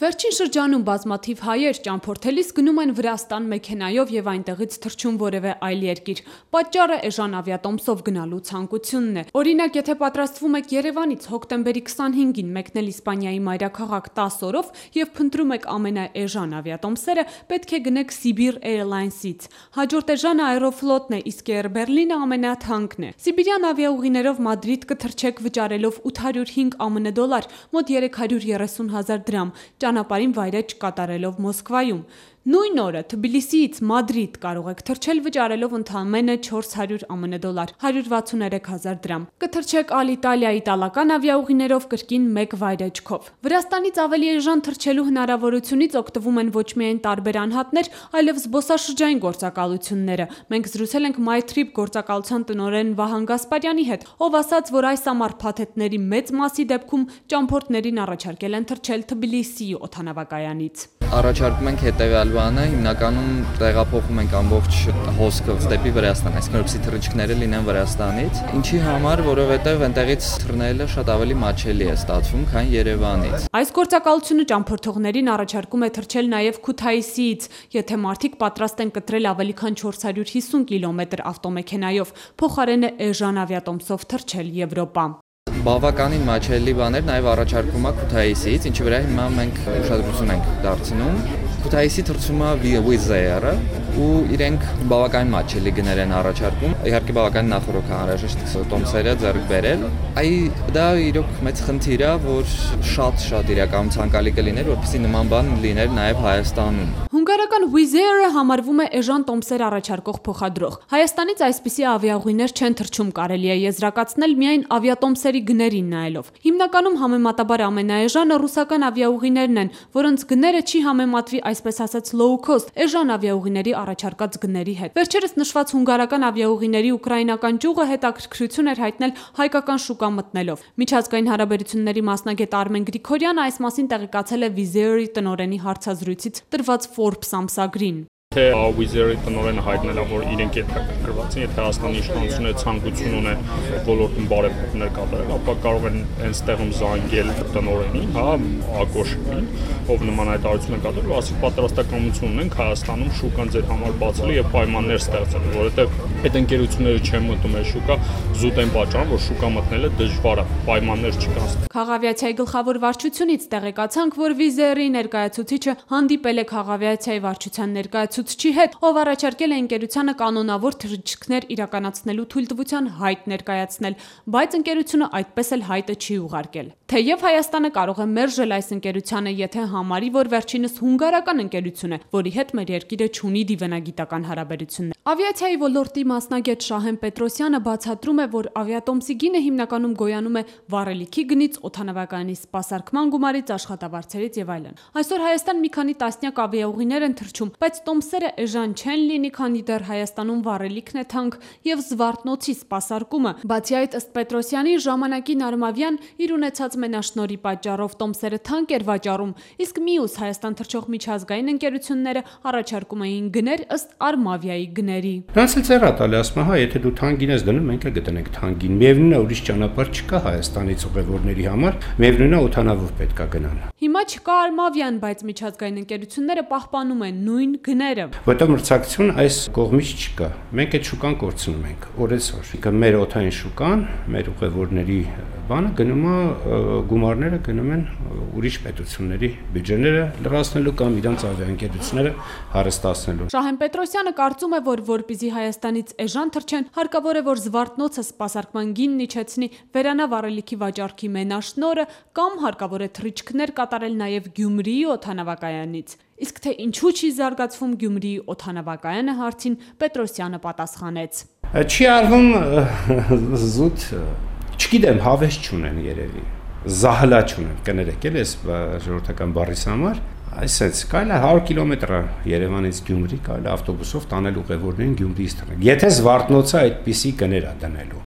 Վերջին շրջանում բազմաթիվ հայեր ճամփորդելիս գնում են Վրաստան մեքենայով եւ այնտեղից թռչում որևէ այլ երկիր։ Պատճառը էժան ավիատոմսով գնալու ցանկությունն է։ Օրինակ, եթե պատրաստվում եք Երևանից հոկտեմբերի 25-ին մեկնել Իսպանիայի մայրաքաղաք 10 օրով եւ փնտրում եք ամենաէժան ավիատոմսերը, պետք է գնեք Sibir Airlines-ից։ Հաջորդ էժանը Aeroflot-ն է, իսկ Air Berlin-ը ամենաթանկն է։ Սիբիրյան ավիաուղիներով Մադրիդ կթռչեք վճարելով 805 ԱՄՆ դոլար, մոտ 330,000 դրամ։ Ճանապարհին վայրէջք կատարելով Մոսկվայում։ Նույն օրը Թբիլիսիից Մադրիդ կարող եք թռչել վճարելով ընդամենը 400 ԱՄՆ դոլար, 163,000 դրամ։ Կթռչեք Ալիտալիա իտալական ավիաուղիներով կրկին մեկ վայրեջքով։ Վրաստանից ավելի էժան թռչելու հնարավորությունից օգտվում են ոչ միայն տարբեր անհատներ, այլև զբոսաշրջային գործակալությունները։ Մենք զրուցել ենք MyTrip գործակալության տնօրեն Վահան Գասպարյանի հետ, ով ասաց, որ այս ամառ փաթեթների մեծ մասի դեպքում ճամփորդներին առաջարկել են թռչել Թբիլիսիի օդանավակայանից։ Առաջարկում ենք հետևյալ բանը, հիմնականում տեղափոխում ենք ամբողջ հոսքը դեպի Վրաստան, այսինքն որպեսզի թռիչքները լինեն Վրաստանից։ Ինչի համար, որովհետև այնտեղից թռնելը շատ ավելի մատչելի է ստացվում, քան Երևանից։ Այս գործակալությունը ճամփորդողներին առաջարկում է թռչել նաև Քութայիսիից, եթե մարդիկ պատրաստ են կտրել ավելի քան 450 կիլոմետր ավտոմեքենայով, փոխարենը էժան ավիատոմսով թռչել Եվրոպա։ Բավականին մատչելի բաներ նաև առաջարկում է Քութայիսից, ինչի վրա հիմա մենք ուշադրություն ենք դարձնում։ Քութայիսի թռչումը Wizz Air-ը ու իրենք բավականին մատչելի գներ են առաջարկում։ Իհարկե բավականին նախորոք անհրաժեշտ տոմսերը ձեռք բերել։ Դա իրոք մեծ խնդիր է, որ շատ իրականում ցանկալի կլիներ, որպեսզի նման բան լիներ նաև Հայաստանում։ Հունգարական Wizz Air-ը համարվում է էժան տոմսեր առաջարկող փոխադրող։ Հայաստանից այսպիսի ավիաուղիներ չեն թռչում, կարելի է եզրակացնել միայն ավիատոմսերի գներին նայելով։ Հիմնականում համեմատաբար ամենաէժանը ռուսական ավիաուղիներն են, որոնց գները չի համեմատվի այսպես ասած low cost էժան ավիաուղիների առաջարկած գների հետ։ Վերջերս նշված հունգարական ավիաուղիների ուկրաինական ճյուղը հետաքրքրություն էր հայտնել հայկական շուկա մտնելով։ Միջազգային հարաբերությունների մասնագետ Արմեն Գրիգորյանը այս մասին տեղեկացել է Wizz Air-ի տնօրենի հարցազրույցից տրված Forbes ամսագրին։ Թե Wizz Air-ի տնօրենը հայտնել է, որ իրենք հետաքրքրված են, եթե Հայաստանի իշխանությունը ցանկություն ունեն ոլորտում բարեփոխումներ կատարել, ապա կարող են հենց տեղում զանգել տնօրենին, Ակոշին, ով նման հայտարարություն է կատարել, ասի պատրաստակամություն ունենք Հայաստանում շուկան ձեր համար բացելու եւ պայմաններ ստեղծել, որովհետեւ այդ ընկերությունները չեն մտնում այս շուկա, զուտ են պատճառում, որ շուկա մտնելը դժվար է, պայմաններ չկան։ Քաղավիացիայի գլխավոր վարչությունից տեղեկացանք, որ Wizz Air-ի ներկայացուցիչը հանդիպել է Քաղավիացիայի վարչության ներկայացուցչի հետ, ով առաջարկել է ընկերությանը կանոնավոր թռիչքներ իրականացնելու թույլտվության հայտ ներկայացնել, բայց ընկերությունը այդպես էլ հայտը չի ուղարկել։ Թեև Հայաստանը կարող է մերժել այս ընկերությանը, եթե համարի, որ վերջինս հունգարական ընկերություն է, որի հետ մեր երկիրը չունի դիվանագիտական հարաբերություններ։ Ավիացիայի ոլորտի մասնագետ Շահեն Պետրոսյանը բացատրում է, որ ավիատոմսի գինը հիմնականում գոյանում է վառելիքի գնից, օդանավակայանի սպասարկման գումարից, աշխատավարձերից եւ այլն։ Այսօր Հայաստան մի քանի տասնյակ ավիաուղիներ են թռչում, բայց տոմսերը էժան չեն լինի, քանի դեռ Հայաստանում վառելիքն է թանկ եւ Զվարթնոցի սպասարկումը։ Բացի այդ, ըստ Պետրոսյանի, ժամանակին Արմավյան իր ունեցած մենաշնորհի պատճառով տոմսերը թանկ էր վաճառում, իսկ մյուս Հայաստան թռչող միջազգային ընկերությունները առաջարկում էին գներ ըստ Արմավիայի գների։ Դրանց էլ ձեռ տալի, ասում է, եթե դու թանկին ես դնում, մենք էլ գտնենք թանկին։ Միևնույնն է, ուրիշ ճանապարհ չկա Հայաստանից ուղևորների համար, միևնույնն է, օդանավով պետք է գնան։ Հիմա չկա Արմավյան, բայց միջազգային ընկերությունները պահպանում են նույն գները։ Որտեղ մրցակցություն այս կողմից չկա։ Մենք այդ շուկան կորցնում ենք օրեցօր։ Մեր օդային շուկան, մեր ուղևորների բանը գնում է, գումարները գնում են ուրիշ պետությունների բյուջեները լրացնելու կամ իրանց ավիաընկերությունները հարստացնելու։ Շահեն Պետրոսյանը կարծում է, որ որպեսզի Հայաստանից էժան թռչեն, հարկավոր է, որ Զվարթնոցը սպասարկման գինն իջեցնի, վերանա վառելիքի վաճառքի մենաշնորհը կամ հարկավոր է թռիչքներ կատարել նաև Գյումրիի օդանավակայանից։ Իսկ թե ինչու չի զարգացվում Գյումրիի օդանավակայանը հարցին Պետրոսյանը պատասխանեց. Չի արվում զուտ, չգիտեմ, հավես չունեն երևի, զահլա չունեն, կներեք էլ ես ժողովրդական բառիս համար, այսպես կարելի է 100 կիլոմետր Երևանից Գյումրի կարելի ավտոբուսով տանել ուղևորներին Գյումրիից թռնել։ Եթե Զվարթնոցը այդպիսի գներ է դնելու,